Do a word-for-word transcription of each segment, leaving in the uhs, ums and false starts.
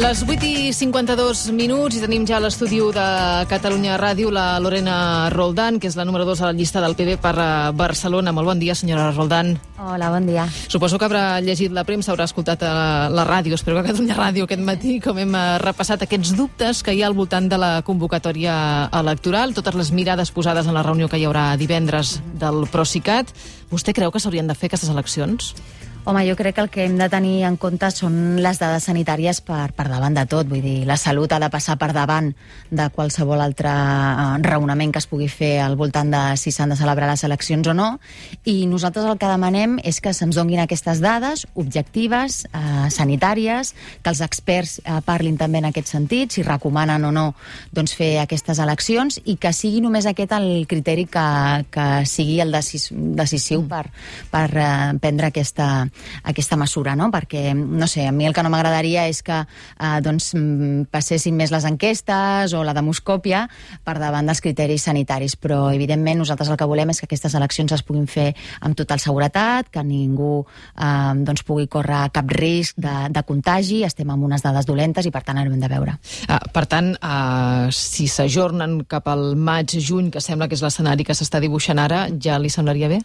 Les vuit i cinquanta-dos minuts i tenim ja a l'estudi de Catalunya Ràdio la Lorena Roldán, que és la número dos a la llista del P B per Barcelona. Molt bon dia, senyora Roldán. Hola, bon dia. Suposo que haurà llegit la premsa, haurà escoltat la, la ràdio, espero que a Catalunya Ràdio aquest matí, com hem repassat aquests dubtes que hi ha al voltant de la convocatòria electoral, totes les mirades posades en la reunió que hi haurà divendres del Procicat. Vostè creu que s'haurien de fer aquestes eleccions? Home, jo crec que el que hem de tenir en compte són les dades sanitàries per, per davant de tot. Vull dir, la salut ha de passar per davant de qualsevol altre raonament que es pugui fer al voltant de si s'han de celebrar les eleccions o no. I nosaltres el que demanem és que se'ns donguin aquestes dades objectives, eh, sanitàries, que els experts eh, parlin també en aquest sentit, si recomanen o no doncs, fer aquestes eleccions, i que sigui només aquest el criteri que, que sigui el decis, decisiu per, per eh, prendre aquesta aquesta mesura, no? Perquè, no sé, a mi el que no m'agradaria és que eh, doncs, passessin més les enquestes o la demoscòpia per davant dels criteris sanitaris, però evidentment nosaltres el que volem és que aquestes eleccions es puguin fer amb total seguretat, que ningú eh, doncs, pugui córrer cap risc de, de contagi. Estem amb unes dades dolentes i per tant ho hem de veure. Ah, per tant, eh, si s'ajornen cap al maig-juny, que sembla que és l'escenari que s'està dibuixant ara, ja li semblaria bé?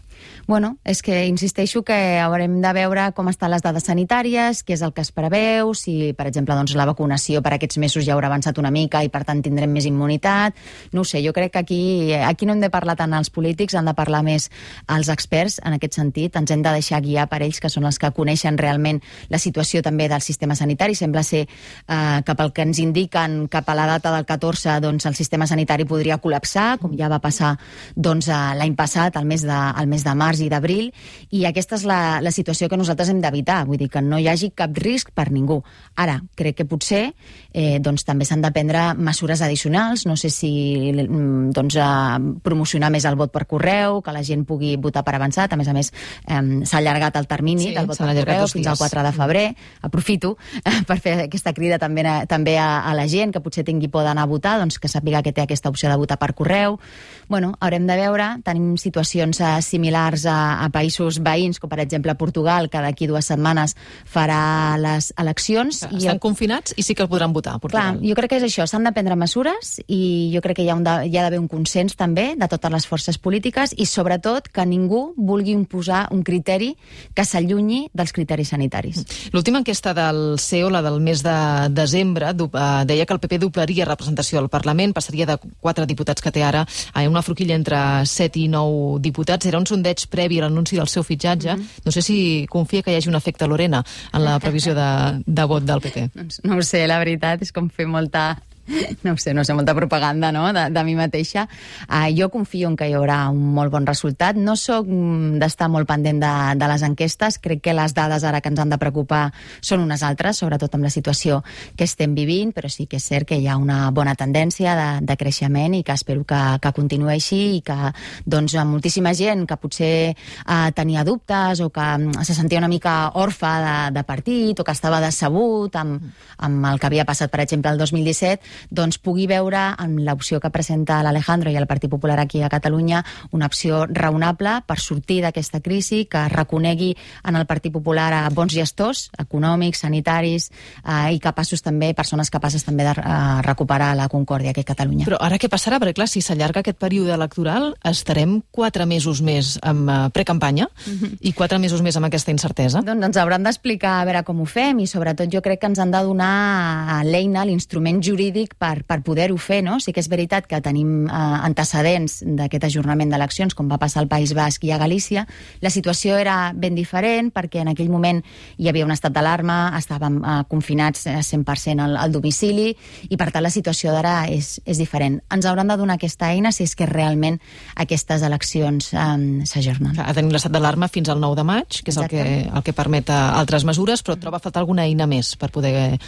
Bueno, és que insisteixo que haurem de veure com estan les dades sanitàries, què és el que es preveu, si, per exemple, doncs, la vacunació per aquests mesos ja haurà avançat una mica i, per tant, tindrem més immunitat. No ho sé, jo crec que aquí, aquí no hem de parlar tant els polítics, han de parlar més els experts en aquest sentit. Ens hem de deixar guiar per ells, que són els que coneixen realment la situació també del sistema sanitari. Sembla ser eh, que pel que ens indiquen cap a la data del catorze, doncs, el sistema sanitari podria col·lapsar, com ja va passar doncs, l'any passat, al mes de, al mes de març i d'abril, i aquesta és la, la situació que nosaltres hem d'evitar, vull dir que no hi hagi cap risc per ningú. Ara, crec que potser eh, doncs, també s'han de prendre mesures addicionals, no sé si doncs, eh, promocionar més el vot per correu, que la gent pugui votar per avançat. A més a més, eh, s'ha allargat el termini sí, del vot per correu fins al quatre de febrer. Aprofito eh, per fer aquesta crida també, a, també a, a la gent que potser tingui por d'anar a votar, doncs que sàpiga que té aquesta opció de votar per correu. Bueno, haurem de veure, tenim situacions eh, similars a, a països veïns, com per exemple Portugal, que d'aquí dues setmanes farà les eleccions. Estan i el... confinats i sí que el podran votar a Portugal. Clar, jo crec que és això, s'han de prendre mesures i jo crec que hi ha, un de, hi ha d'haver un consens també de totes les forces polítiques i sobretot que ningú vulgui imposar un criteri que s'allunyi dels criteris sanitaris. L'última enquesta del C E O, la del mes de desembre, deia que el P P doblaria representació al Parlament, passaria de quatre diputats que té ara a una forquilla entre set i nou diputats. Era un sondeig previ a l'anunci del seu fitxatge. Mm-hmm. No sé si confia que hi hagi un efecte Lorena en la previsió de, de vot del P P. No ho sé, la veritat és com fer molta... No sé, no sé, molta propaganda, no?, de, de mi mateixa. Uh, jo confio en que hi haurà un molt bon resultat. No soc d'estar molt pendent de, de les enquestes. Crec que les dades ara que ens han de preocupar són unes altres, sobretot amb la situació que estem vivint, però sí que és cert que hi ha una bona tendència de, de creixement i que espero que, que continuï així i que doncs, moltíssima gent que potser uh, tenia dubtes o que se sentia una mica orfa de, de partit o que estava decebut amb, amb el que havia passat, per exemple, el dos mil disset, doncs pugui veure en l'opció que presenta l'Alejandro i el Partit Popular aquí a Catalunya una opció raonable per sortir d'aquesta crisi, que reconegui en el Partit Popular a bons gestors econòmics, sanitaris eh, i capaços també, persones capaces també de eh, recuperar la concòrdia aquí a Catalunya. Però ara què passarà? Perquè clar, si s'allarga aquest període electoral estarem quatre mesos més amb uh, precampanya mm-hmm. i quatre mesos més amb aquesta incertesa. Doncs ens hauran d'explicar a veure com ho fem i sobretot jo crec que ens han de donar l'eina, l'instrument jurídic per, per poder-ho fer, no? Sí que és veritat que tenim eh, antecedents d'aquest ajornament d'eleccions, com va passar al País Basc i a Galícia. La situació era ben diferent perquè en aquell moment hi havia un estat d'alarma, estàvem eh, confinats cent per cent al, al domicili i per tant la situació d'ara és, és diferent. Ens hauran de donar aquesta eina si és que realment aquestes eleccions eh, s'ajornen. Tenim l'estat d'alarma fins al nou de maig, que és el que, el que permet altres mesures, però troba a faltar alguna eina més per poder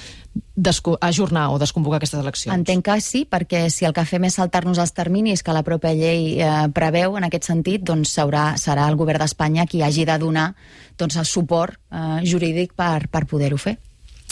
ajornar o desconvocar aquestes eleccions. Entenc que sí, perquè si el que fem és saltar-nos els terminis que la pròpia llei eh, preveu en aquest sentit, doncs serà, serà el govern d'Espanya qui hagi de donar doncs, el suport eh, jurídic per, per poder-ho fer.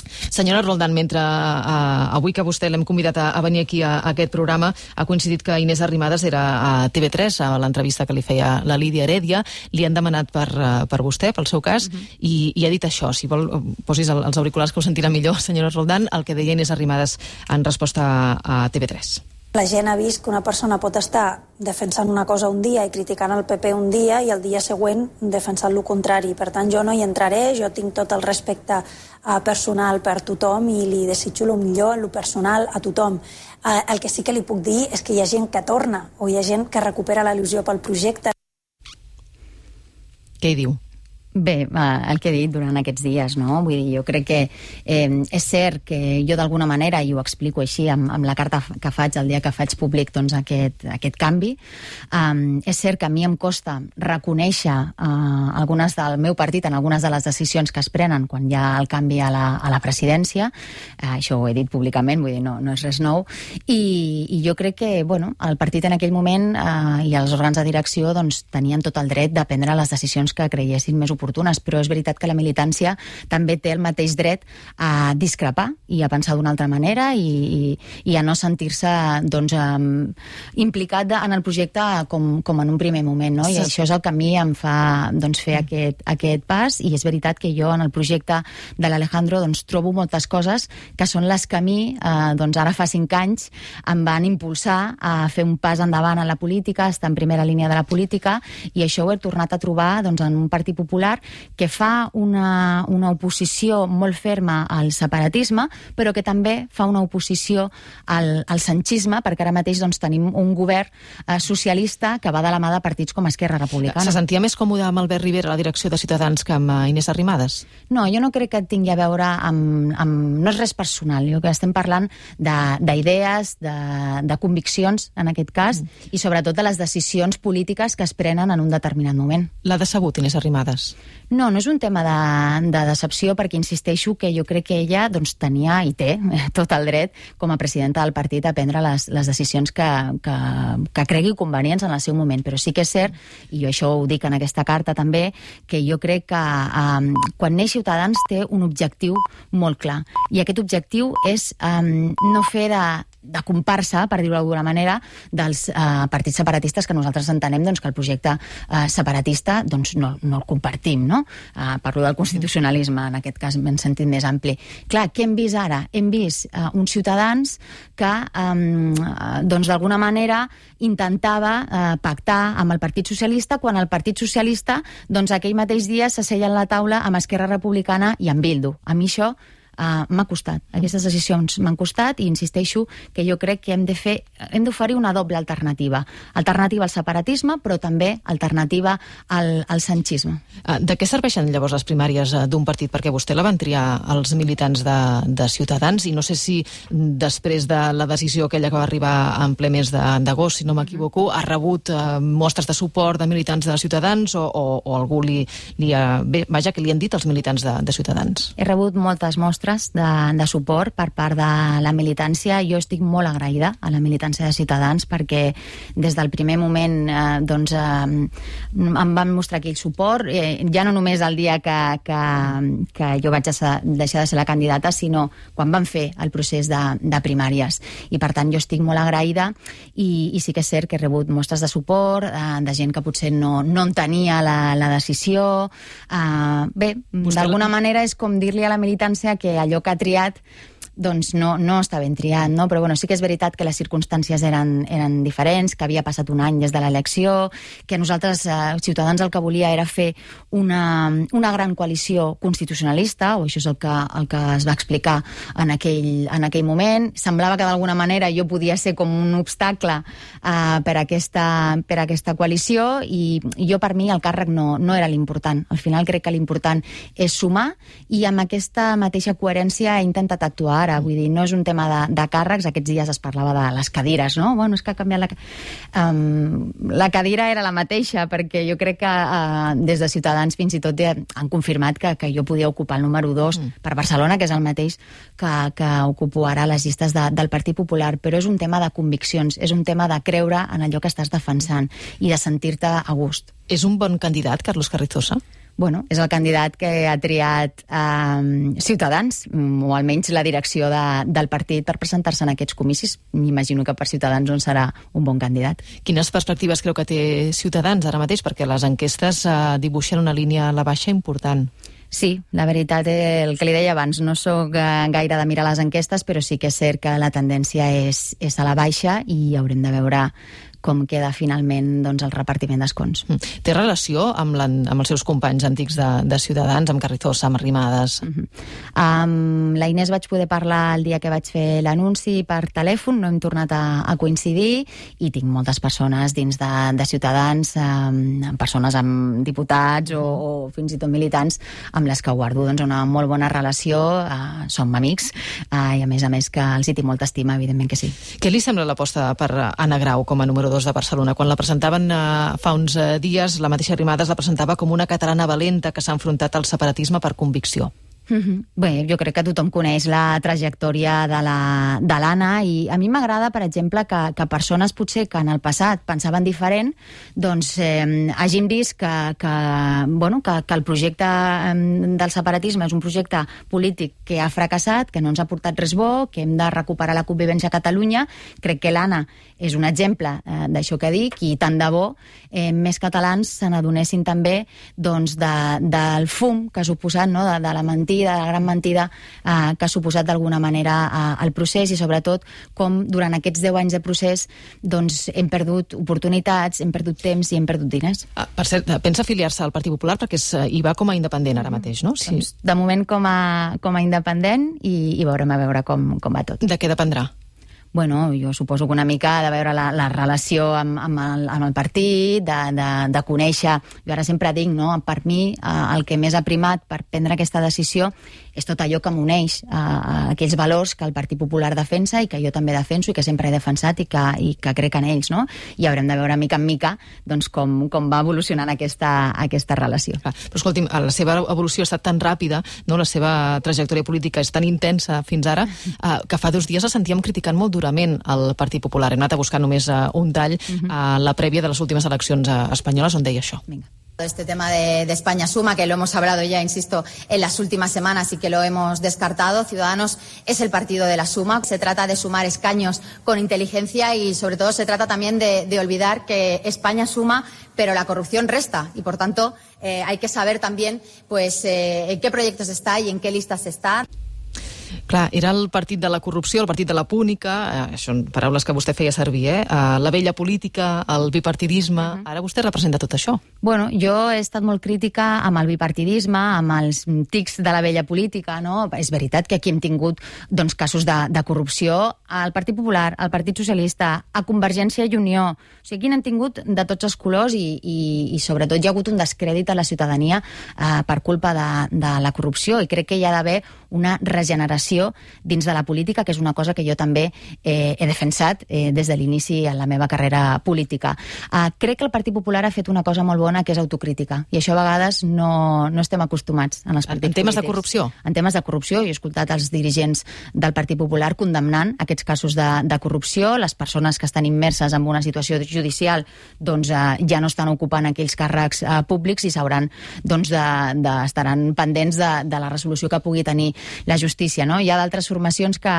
Senyora Roldán, mentre uh, avui que vostè l'hem convidat a, a venir aquí a, a aquest programa, ha coincidit que Inés Arrimadas era a T V tres, a l'entrevista que li feia la Lídia Heredia, li han demanat per, uh, per vostè, pel seu cas, uh-huh. i, i ha dit això. Si vol, posis el, els auriculars que ho sentirà millor, senyora Roldán, el que deia Inés Arrimadas en resposta a, a T V tres. La gent ha vist que una persona pot estar defensant una cosa un dia i criticant el P P un dia i el dia següent defensant el contrari. Per tant, jo no hi entraré, jo tinc tot el respecte uh, personal per tothom i li desitjo el millor, el personal, a tothom. Uh, el que sí que li puc dir és que hi ha gent que torna o hi ha gent que recupera la il·lusió pel projecte. Què hi diu? Bé, el que he dit durant aquests dies, no? Vull dir, jo crec que eh, és cert que jo d'alguna manera, i ho explico així amb, amb la carta que faig el dia que faig públic doncs, aquest, aquest canvi, um, és cert que a mi em costa reconèixer uh, algunes del meu partit en algunes de les decisions que es prenen quan hi ha el canvi a la, a la presidència, uh, això ho he dit públicament, vull dir, no, no és res nou, i, i jo crec que, bueno, el partit en aquell moment uh, i els òrgans de direcció doncs, tenien tot el dret de prendre les decisions que creiessin més oportunes, però és veritat que la militància també té el mateix dret a discrepar i a pensar d'una altra manera i, i, i a no sentir-se doncs, um, implicat en el projecte com, com en un primer moment, no? I sí. Això és el que a mi em fa doncs, fer mm. aquest, aquest pas, i és veritat que jo en el projecte de l'Alejandro doncs, trobo moltes coses que són les que a mi eh, doncs, ara fa cinc anys em van impulsar a fer un pas endavant en la política, estar en primera línia de la política, i això ho he tornat a trobar doncs, en un Partit Popular que fa una, una oposició molt ferma al separatisme, però que també fa una oposició al, al sanchisme, perquè ara mateix doncs, tenim un govern eh, socialista que va de la mà de partits com Esquerra Republicana. Se sentia més còmode amb Albert Rivera a la direcció de Ciutadans que amb Inés Arrimadas? No, jo no crec que tingui a veure amb... amb no és res personal, jo que estem parlant d'idees, de, de, de conviccions, en aquest cas, mm. i sobretot de les decisions polítiques que es prenen en un determinat moment. L'ha decebut Inés Arrimadas? No, no és un tema de, de decepció, perquè insisteixo que jo crec que ella doncs, tenia i té tot el dret com a presidenta del partit a prendre les, les decisions que, que, que cregui convenients en el seu moment, però sí que és cert, i jo això ho dic en aquesta carta també, que jo crec que um, quan neix Ciutadans té un objectiu molt clar, i aquest objectiu és um, no fer de de comparsa, per dir-ho d'alguna manera, dels eh, partits separatistes, que nosaltres entenem doncs, que el projecte eh, separatista doncs, no, no el compartim, no? Eh, parlo del constitucionalisme, en aquest cas en sentit més ampli. Clar, què hem vist ara? Hem vist eh, uns ciutadans que eh, doncs, d'alguna manera intentava eh, pactar amb el Partit Socialista, quan el Partit Socialista doncs, aquell mateix dia s'asseia a la taula amb Esquerra Republicana i amb Bildu. A mi això Uh, m'ha costat, aquestes decisions m'han costat, i insisteixo que jo crec que hem de fer, hem d'oferir una doble alternativa, alternativa al separatisme, però també alternativa al, al sanchisme. Uh, de què serveixen llavors les primàries uh, d'un partit? Perquè vostè la van triar els militants de, de Ciutadans, i no sé si després de la decisió aquella que va arribar en ple mes d'agost, si no m'equivoco, ha rebut uh, mostres de suport de militants de Ciutadans, o, o, o algú li, li ha... Bé, vaja, que li han dit els militants de, de Ciutadans? He rebut moltes mostres De, de suport per part de la militància. Jo estic molt agraïda a la militància de Ciutadans, perquè des del primer moment eh, doncs, eh, em van mostrar aquell suport, eh, ja no només el dia que, que, que jo vaig deixar de ser la candidata, sinó quan van fer el procés de, de primàries, i per tant jo estic molt agraïda, i, i sí que és cert que he rebut mostres de suport eh, de gent que potser no, no entenia la, la decisió. eh, bé, d'alguna manera és com dir-li a la militància que allò que ha triat doncs no, no està ben triat, no? Però bueno, sí que és veritat que les circumstàncies eren, eren diferents, que havia passat un any des de l'elecció, que nosaltres, eh, Ciutadans, el que volia era fer una, una gran coalició constitucionalista, o això és el que, el que es va explicar en aquell, en aquell moment. Semblava que d'alguna manera jo podia ser com un obstacle eh, per, aquesta, per aquesta coalició, i, i jo per mi el càrrec no, no era l'important. Al final crec que l'important és sumar, i amb aquesta mateixa coherència he intentat actuar. Ara, vull dir, no és un tema de, de càrrecs. Aquests dies es parlava de les cadires, no? Bueno, és que ha canviat la... Um, la cadira era la mateixa, perquè jo crec que uh, des de Ciutadans fins i tot han confirmat que, que jo podia ocupar el número dos mm. per Barcelona, que és el mateix que, que ocupo ara a les llistes de, del Partit Popular, però és un tema de conviccions, és un tema de creure en allò que estàs defensant i de sentir-te a gust. És un bon candidat, Carlos Carrizosa? Bueno, és el candidat que ha triat eh, Ciutadans, o almenys la direcció de, del partit, per presentar-se en aquests comicis. M'imagino que per Ciutadans on serà un bon candidat. Quines perspectives creu que té Ciutadans ara mateix? Perquè les enquestes eh, dibuixen una línia a la baixa important. Sí, la veritat, el que li deia abans, no sóc gaire de mirar les enquestes, però sí que és cert que la tendència és, és a la baixa i haurem de veure com queda finalment doncs, el repartiment d'escons. Mm. Té relació amb, la, amb els seus companys antics de, de Ciutadans, amb Carrizosa, amb Arrimadas? Uh -huh. Amb la Inés vaig poder parlar el dia que vaig fer l'anunci per telèfon, no hem tornat a, a coincidir, i tinc moltes persones dins de, de Ciutadans, um, persones amb diputats o, o fins i tot militants, amb les que guardo doncs, una molt bona relació, uh, som amics, uh, i a més a més que els hi tinc molta estima, evidentment que sí. Què li sembla l'aposta per Anna Grau com a número dos de Barcelona? Quan la presentaven eh, fa uns eh, dies, la mateixa Arrimadas la presentava com una catalana valenta que s'ha enfrontat al separatisme per convicció. Mm-hmm. Bé, jo crec que tothom coneix la trajectòria de la, de l'Anna, i a mi m'agrada, per exemple, que, que persones potser que en el passat pensaven diferent, doncs eh, hagin vist que, que, bueno, que, que el projecte eh, del separatisme és un projecte polític que ha fracassat, que no ens ha portat res bo, que hem de recuperar la convivència a Catalunya. Crec que l'Anna és un exemple eh, d'això que dic, i tant de bo eh, més catalans se n'adonessin també doncs, de, del fum que ha suposat, no? de, de la mentida, de la gran mentida eh, que ha suposat d'alguna manera eh, el procés, i sobretot com durant aquests deu anys de procés doncs, hem perdut oportunitats, hem perdut temps i hem perdut diners. Ah, per cert, pensa afiliar-se al Partit Popular perquè és, hi va com a independent ara mateix, no? Sí. Doncs, de moment com a, com a independent, i, i veurem a veure com, com va tot. De què dependrà? Bueno, jo suposo que una mica de veure la, la relació amb, amb, el, amb el partit, de, de, de conèixer. Jo ara sempre dic, no? Per mi, eh, el que més ha primat per prendre aquesta decisió és tot allò que m'uneix a, a aquells valors que el Partit Popular defensa i que jo també defenso i que sempre he defensat i que, i que crec en ells, no? I haurem de veure mica en mica doncs, com, com va evolucionant aquesta, aquesta relació. Clar, però escolti'm, la seva evolució ha estat tan ràpida, no? La seva trajectòria política és tan intensa fins ara, eh, que fa dos dies la sentíem criticant molt durament al Partit Popular. Hem anat a buscar només uh, un tall uh-huh. a la prèvia de les últimes eleccions uh, espanyoles on deia això. Vinga. Este tema de, de España Suma, que lo hemos hablado ya, insisto, en las últimas semanas y que lo hemos descartado. Ciudadanos es el partido de la suma. Se trata de sumar escaños con inteligencia y, sobre todo, se trata también de, de olvidar que España suma, pero la corrupción resta. Y, por tanto, eh, hay que saber también pues, eh, en qué proyectos está y en qué listas está. Clar, era el partit de la corrupció, el partit de la púnica, eh, això són paraules que vostè feia servir, eh? Uh, la vella política, el bipartidisme... Uh -huh. Ara vostè representa tot això. Bueno, jo he estat molt crítica amb el bipartidisme, amb els tics de la vella política, no? És veritat que aquí hem tingut doncs, casos de, de corrupció al Partit Popular, al Partit Socialista, a Convergència i Unió. O sigui, aquí n'hem tingut de tots els colors i, i, i sobretot hi ha hagut un descrèdit a la ciutadania eh, per culpa de, de la corrupció, i crec que hi ha d'haver una regeneració dins de la política, que és una cosa que jo també eh, he defensat eh, des de l'inici en la meva carrera política. Eh, crec que el Partit Popular ha fet una cosa molt bona, que és autocrítica, i això a vegades no, no estem acostumats en els partits En temes polítics. de corrupció? En temes de corrupció. Jo he escoltat els dirigents del Partit Popular condemnant aquests casos de, de corrupció. Les persones que estan immerses en una situació judicial doncs, eh, ja no estan ocupant aquells càrrecs eh, públics i s'hauran, doncs, de, de, estaran pendents de, de la resolució que pugui tenir la justícia, no? Hi ha d'altres formacions que,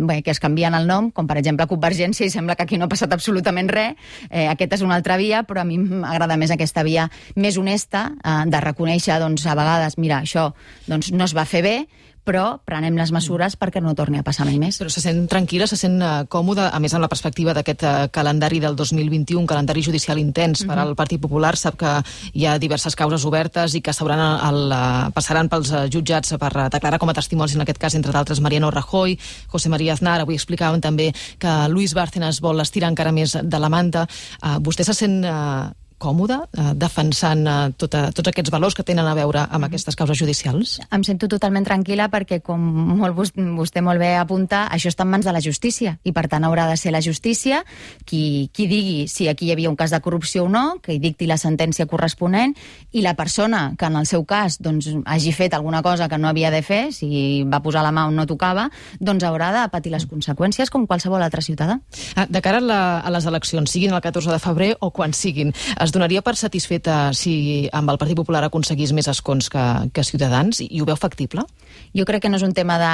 bé, que es canvien el nom, com per exemple Convergència, i sembla que aquí no ha passat absolutament res. Eh, aquesta és una altra via, però a mi m'agrada més aquesta via més honesta, eh, de reconèixer, doncs, a vegades, mira, això doncs, no es va fer bé, però prenem les mesures perquè no torni a passar mai més. Però se sent tranquil·la, se sent uh, còmoda, a més amb la perspectiva d'aquest uh, calendari del dos mil vint-i-u, un calendari judicial intens uh-huh. per al Partit Popular. Sap que hi ha diverses causes obertes i que s'hauran el, uh, passaran pels uh, jutjats per uh, declarar com a testimonis, en aquest cas, entre d'altres, Mariano Rajoy, José María Aznar. Avui explicàvem també que Luis Bárcenas vol estirar encara més de la manta. Uh, vostè se sent... Uh, còmode, eh, defensant eh, tota, tots aquests valors que tenen a veure amb aquestes causes judicials? Em sento totalment tranquil·la perquè, com molt, vostè molt bé apunta, això està en mans de la justícia i, per tant, haurà de ser la justícia qui, qui digui si aquí hi havia un cas de corrupció o no, que hi dicti la sentència corresponent, i la persona que, en el seu cas, doncs, hagi fet alguna cosa que no havia de fer, si va posar la mà on no tocava, doncs haurà de patir les conseqüències com qualsevol altre ciutadà. Ah, de cara a, la, a les eleccions, siguin el catorze de febrer o quan siguin, Es donaria per satisfeta si amb el Partit Popular aconseguís més escons que, que Ciutadans, i ho veu factible? Jo crec que no és un tema de,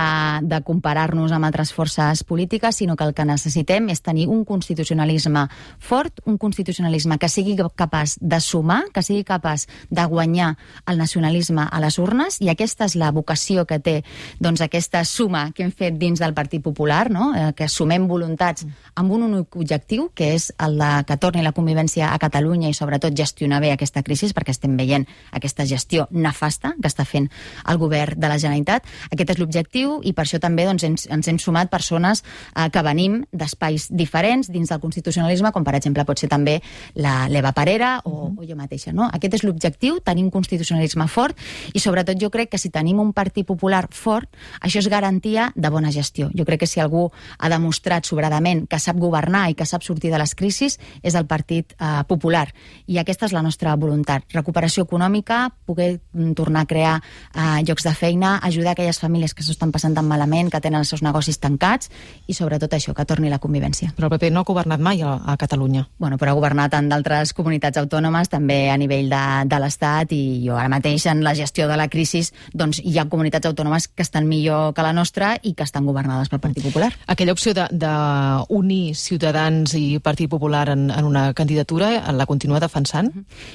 de comparar-nos amb altres forces polítiques, sinó que el que necessitem és tenir un constitucionalisme fort, un constitucionalisme que sigui capaç de sumar, que sigui capaç de guanyar el nacionalisme a les urnes, i aquesta és la vocació que té, doncs, aquesta suma que hem fet dins del Partit Popular, no? eh, que sumem voluntats amb un únic objectiu, que és el de que torni la convivència a Catalunya i sobretot gestionar bé aquesta crisi, perquè estem veient aquesta gestió nefasta que està fent el govern de la Generalitat. Aquest és l'objectiu, i per això també doncs, ens, ens hem sumat persones eh, que venim d'espais diferents dins del constitucionalisme, com per exemple pot ser també l'Eva Parera o, uh -huh. o jo mateixa. No? Aquest és l'objectiu, tenir un constitucionalisme fort, i sobretot jo crec que si tenim un Partit Popular fort, això és garantia de bona gestió. Jo crec que si algú ha demostrat sobradament que sap governar i que sap sortir de les crisis és el Partit eh, Popular, i aquesta és la nostra voluntat. Recuperació econòmica, poder tornar a crear eh, llocs de feina, ajudar aquelles famílies que s'ho estan passant tan malament, que tenen els seus negocis tancats, i sobretot això, que torni la convivència. Però el P P no ha governat mai a, a Catalunya. Bueno, però ha governat en d'altres comunitats autònomes, també a nivell de, de l'Estat, i jo ara mateix en la gestió de la crisi doncs hi ha comunitats autònomes que estan millor que la nostra i que estan governades pel Partit Popular. Aquella opció d'unir Ciutadans i Partit Popular en, en una candidatura, la continua defensant?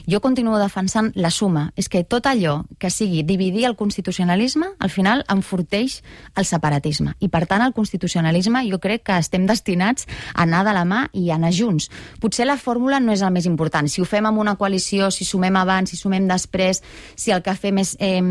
Jo continuo defensant la suma. És que tot allò que sigui dividir el constitucionalisme, al final enforteix el separatisme. I per tant el constitucionalisme jo crec que estem destinats a anar de la mà i a anar junts. Potser la fórmula no és el més important. Si ho fem amb una coalició, si sumem abans, si sumem després, si el que fem és... Eh,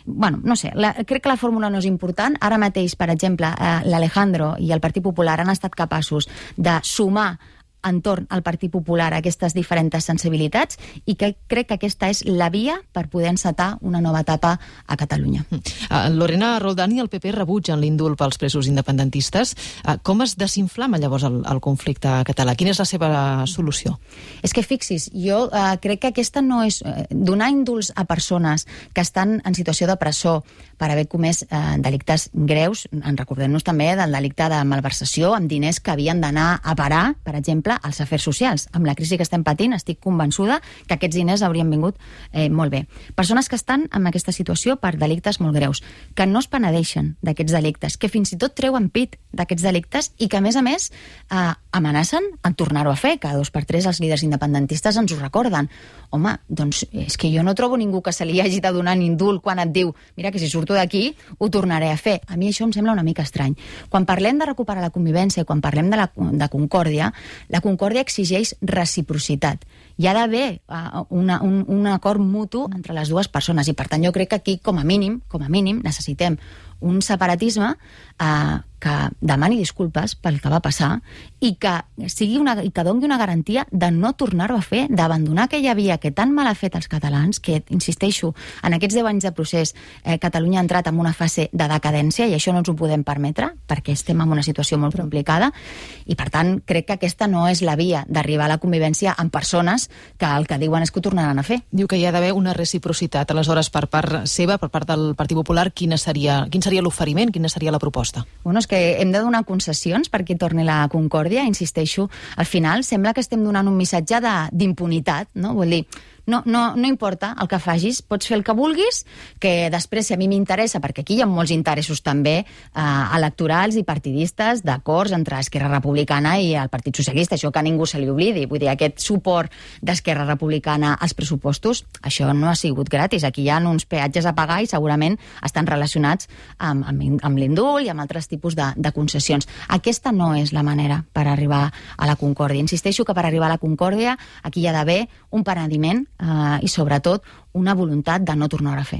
bueno, no sé, la, crec que la fórmula no és important. Ara mateix, per exemple, eh, l'Alejandro i el Partit Popular han estat capaços de sumar entorn al Partit Popular aquestes diferents sensibilitats, i que crec que aquesta és la via per poder encetar una nova etapa a Catalunya. Uh, Lorena Roldán i el P P rebutgen l'indult pels presos independentistes. Uh, com es desinflama llavors el, el conflicte català? Quina és la seva solució? És que fixis, jo uh, crec que aquesta no és... Uh, donar indults a persones que estan en situació de presó per haver comès uh, delictes greus, en recordem-nos també del delicte de malversació amb diners que havien d'anar a parar, per exemple, als afers socials. Amb la crisi que estem patint, estic convençuda que aquests diners haurien vingut eh, molt bé. Persones que estan en aquesta situació per delictes molt greus, que no es penedeixen d'aquests delictes, que fins i tot treuen pit d'aquests delictes, i que, a més a més, eh, amenacen en tornar-ho a fer. Cada dos per tres els líders independentistes ens ho recorden. Home, doncs és que jo no trobo ningú que se li hagi de donar un indult quan et diu mira que si surto d'aquí ho tornaré a fer. A mi això em sembla una mica estrany. Quan parlem de recuperar la convivència i quan parlem de, la, de concòrdia, la concòrdia exigeix reciprocitat. Hi ha d'haver uh, una, un, un acord mutu entre les dues persones, i per tant jo crec que aquí, com a mínim, com a mínim necessitem un separatisme uh, que demani disculpes pel que va passar i que sigui una, i que doni una garantia de no tornar-ho a fer, d'abandonar aquella via que tan mal ha fet els catalans, que, insisteixo, en aquests deu anys de procés eh, Catalunya ha entrat en una fase de decadència, i això no ens ho podem permetre perquè estem en una situació molt complicada, i per tant crec que aquesta no és la via d'arribar a la convivència amb persones que el que diuen és que ho tornaran a fer. Diu que hi ha d'haver una reciprocitat. Aleshores, per part seva, per part del Partit Popular, quina seria, quin seria l'oferiment, quina seria la proposta? Bueno, és que hem de donar concessions perquè torni la concòrdia, insisteixo. Al final sembla que estem donant un missatge d'impunitat, no? Vull dir, no, no, no importa el que facis, pots fer el que vulguis, que després, si a mi m'interessa, perquè aquí hi ha molts interessos també eh, electorals i partidistes d'acords entre Esquerra Republicana i el Partit Socialista, això que a ningú se li oblidi. Vull dir, aquest suport d'Esquerra Republicana als pressupostos, això no ha sigut gratis. Aquí hi ha uns peatges a pagar i segurament estan relacionats amb, amb, amb l'indult i amb altres tipus de, de concessions. Aquesta no és la manera per arribar a la concòrdia. Insisteixo que per arribar a la concòrdia aquí hi ha d'haver un penediment Uh, i sobretot una voluntat de no tornar a fer.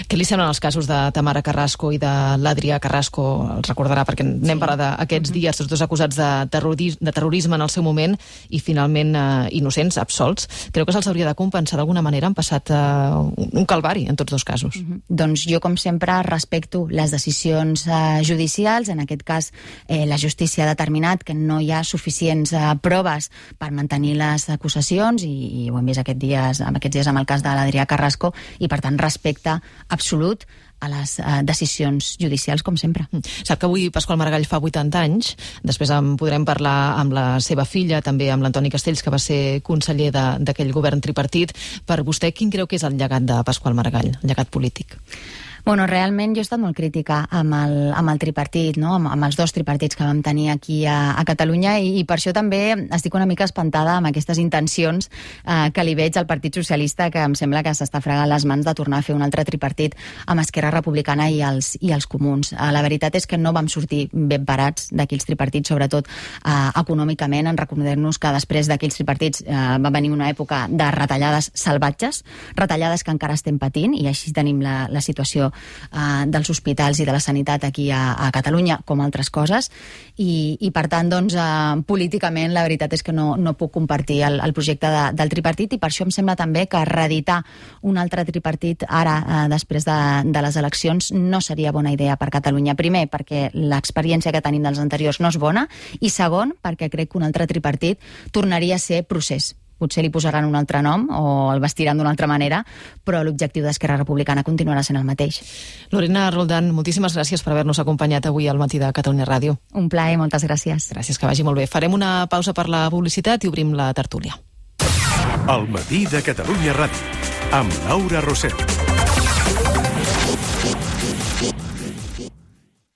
Què li semblen els casos de Tamara Carrasco i de l'Adrià Carrasco? Els recordarà perquè n'hem sí. parlat d'aquests uh-huh. dies, tots dos acusats de, terroris, de terrorisme en el seu moment i finalment uh, innocents, absolts. Creu que se'ls hauria de compensar d'alguna manera? Han passat uh, un calvari en tots dos casos. Uh-huh. Doncs jo, com sempre, respecto les decisions uh, judicials. En aquest cas, eh, la justícia ha determinat que no hi ha suficients uh, proves per mantenir les acusacions, i, i ho hem vist aquests dies, aquests dies amb el cas de l'Adrià Carrasco, i per tant respecte absolut a les uh, decisions judicials, com sempre. Sap que avui Pasqual Maragall fa vuitanta anys, després en podrem parlar amb la seva filla, també amb l'Antoni Castells, que va ser conseller d'aquell govern tripartit. Per vostè, quin creu que és el llegat de Pasqual Maragall, el llegat polític? Bueno, realment jo he estat molt crítica amb el, amb el tripartit, no? amb, amb els dos tripartits que vam tenir aquí a, a Catalunya i, i per això també estic una mica espantada amb aquestes intencions eh, que li veig al Partit Socialista, que em sembla que s'està fregant les mans de tornar a fer un altre tripartit amb Esquerra Republicana i els, i els comuns. Eh, la veritat és que no vam sortir ben parats d'aquells tripartits, sobretot eh, econòmicament, en recordar-nos que després d'aquells tripartits eh, va venir una època de retallades salvatges, retallades que encara estem patint, i així tenim la, la situació Uh, dels hospitals i de la sanitat aquí a, a Catalunya, com altres coses, i, i per tant, doncs, uh, políticament la veritat és que no, no puc compartir el, el projecte de, del tripartit, i per això em sembla també que reeditar un altre tripartit ara, uh, després de, de les eleccions, no seria bona idea per Catalunya. Primer, perquè l'experiència que tenim dels anteriors no és bona, i segon, perquè crec que un altre tripartit tornaria a ser procés. Potser li posaran un altre nom o el vestiran d'una altra manera, però l'objectiu d'Esquerra Republicana continuarà sent el mateix. Lorena Roldán, moltíssimes gràcies per haver-nos acompanyat avui al matí de Catalunya Ràdio. Un plaer, moltes gràcies. Gràcies, que vagi molt bé. Farem una pausa per la publicitat i obrim la tertúlia. Al matí de Catalunya Ràdio, amb Laura Rosell.